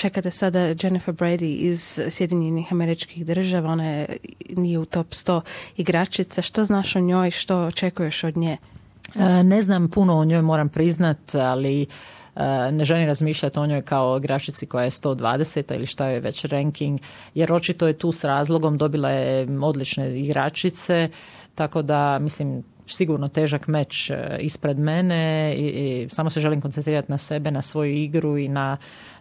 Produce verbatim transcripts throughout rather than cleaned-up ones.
čekate sada Jennifer Brady iz Sjedinjenih Američkih Država, ona je, nije u top sto igračica. Što znaš o njoj, što očekuješ od nje? Ne znam puno o njoj, moram priznat, ali ne želim razmišljati o njoj kao igračici koja je sto dvadeset ili šta je već ranking, jer očito je tu s razlogom, dobila je odlične igračice, tako da mislim sigurno težak meč ispred mene i, i samo se želim koncentrirati na sebe, na svoju igru i na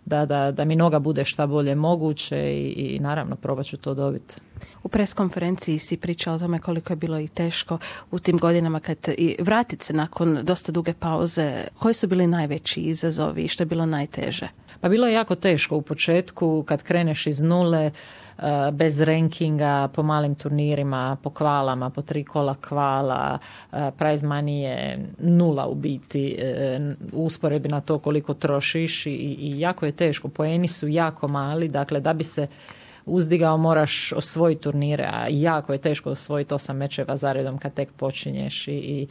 da, da, da mi noga bude šta bolje moguće i, i naravno probat ću to dobiti. U pres konferenciji si pričala o tome koliko je bilo i teško u tim godinama kad i vratiti se nakon dosta duge pauze. Koji su bili najveći izazovi i što je bilo najteže? Pa bilo je jako teško u početku kad kreneš iz nule, bez rankinga, po malim turnirima, po kvalama, po tri kola kvala, prize money je nula u biti, u usporedbi na to koliko trošiš i, i jako je teško. Poeni su jako mali, dakle da bi se uzdigao moraš osvojiti turnire, a jako je teško osvojiti osam mečeva zaredom kad tek počinješ i, i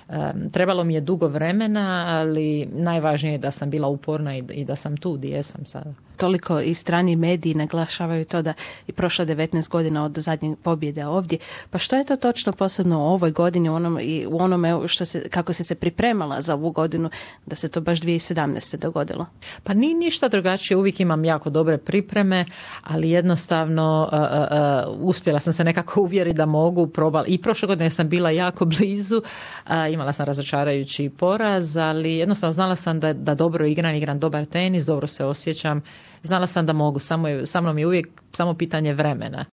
um, trebalo mi je dugo vremena, ali najvažnije je da sam bila uporna i, i da sam tu gdje jesam sada. Toliko i strani mediji naglašavaju to da i prošla devetnaest godina od zadnje pobjede ovdje. Pa što je to točno posebno u ovoj godini u onom, i u onome što se, kako si se pripremala za ovu godinu da se to baš dvije tisuće sedamnaeste dogodilo? Pa nije ništa drugačije, uvijek imam jako dobre pripreme, ali jednostavno uh, uh, uh, uspjela sam se nekako uvjeriti da mogu, probala. I prošle godine sam bila jako blizu, uh, imala sam razočarajući poraz, ali jednostavno znala sam da, da dobro igram, igram dobar tenis, dobro se osjećam. Znala sam da mogu, samo je, sa mnom je uvijek samo pitanje vremena.